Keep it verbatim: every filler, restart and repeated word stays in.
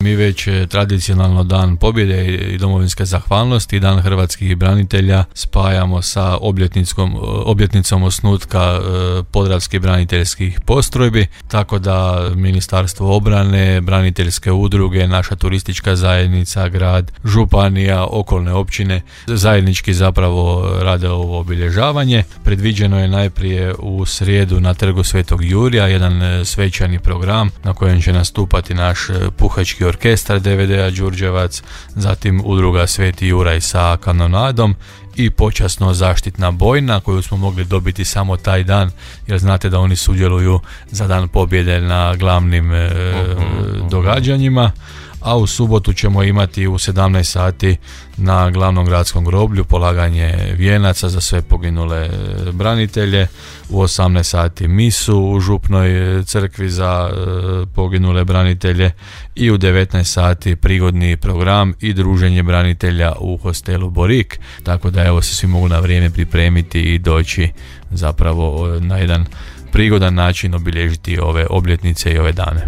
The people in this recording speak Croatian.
Mi već tradicionalno Dan pobjede i domovinske zahvalnosti i Dan hrvatskih branitelja spajamo sa obljetnicom, obljetnicom osnutka podravskih braniteljskih postrojbi, tako da Ministarstvo obrane, braniteljske udruge, naša turistička zajednica, grad, županija, okolne općine zajednički zapravo rade ovo obilježavanje. Predviđeno je najprije u srijedu na Trgu Svetog Jurija jedan svečani program na kojem će nastupati naš puhački orkestar D V D-a Đurđevac, zatim udruga Sveti Juraj sa kanonadom i počasno zaštitna bojna koju smo mogli dobiti samo taj dan, jer znate da oni sudjeluju za Dan pobjede na glavnim e, uh-huh. događanjima. A u subotu ćemo imati u sedamnaest sati na glavnom gradskom groblju polaganje vijenaca za sve poginule branitelje, u osamnaest sati misu u župnoj crkvi za poginule branitelje i u devetnaest sati prigodni program i druženje branitelja u hostelu Borik, tako da evo se svi mogu na vrijeme pripremiti i doći zapravo na jedan prigodan način obilježiti ove obljetnice i ove dane.